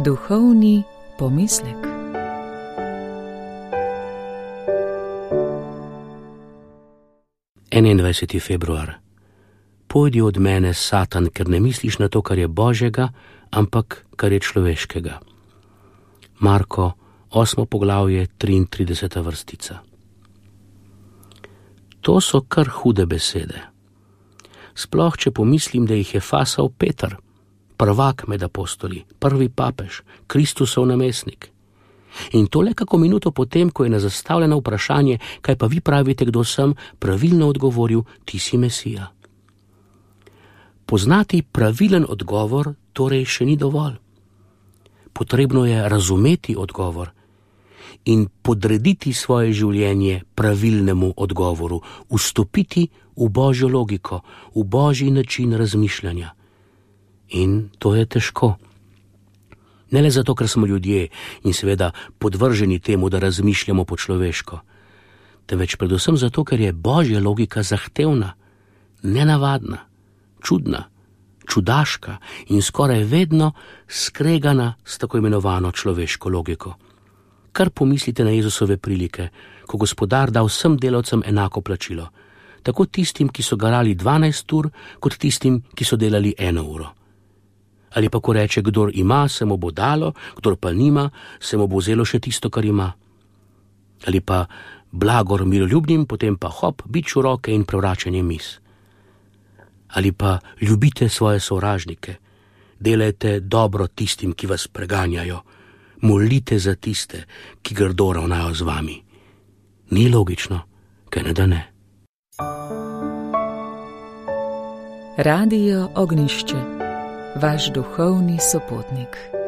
Duhovni pomislek. Februar. Pojdi od mene, Satan, ker ne misliš na to, kar je Božjega, ampak kar je človeškega. Marko, 8. poglavje, 33. vrstica. To so kar hude besede. Sploh, če pomislim, da jih je fasal Peter, prvak med apostoli, prvi papež, Kristusov namestnik. In to le kako minuto potem, ko je na zastavljeno vprašanje, kaj pa vi pravite, kdo sem, pravilno odgovoril, ti si Mesija. Poznati pravilen odgovor torej še ni dovolj. Potrebno je razumeti odgovor in podrediti svoje življenje pravilnemu odgovoru, vstopiti v Božjo logiko, v Božji način razmišljanja. In to je težko. Ne le zato, ker smo ljudje in seveda podvrženi temu, da razmišljamo po človeško, temveč predvsem zato, ker je Božja logika zahtevna, nenavadna, čudna, čudaška in skoraj vedno skregana s tako imenovano človeško logiko. Kar pomislite na Jezusove prilike, ko gospodar da vsem delavcem enako plačilo, tako tistim, ki so garali 12 ur, kot tistim, ki so delali 1 uro. Ali pa ko reče, kdor ima, se mu bo dalo, kdor pa nima, se mu bo vzelo še tisto, kar ima. Ali pa blagor miroljubnim, potem pa hop, bič v roke in prevračanje miz. Ali pa ljubite svoje sovražnike, delajte dobro tistim, ki vas preganjajo, molite za tiste, ki grdo ravnajo z vami. Ni logično, kaj ne da ne. Radio Ognjišče, vaš duhovni sopotnik.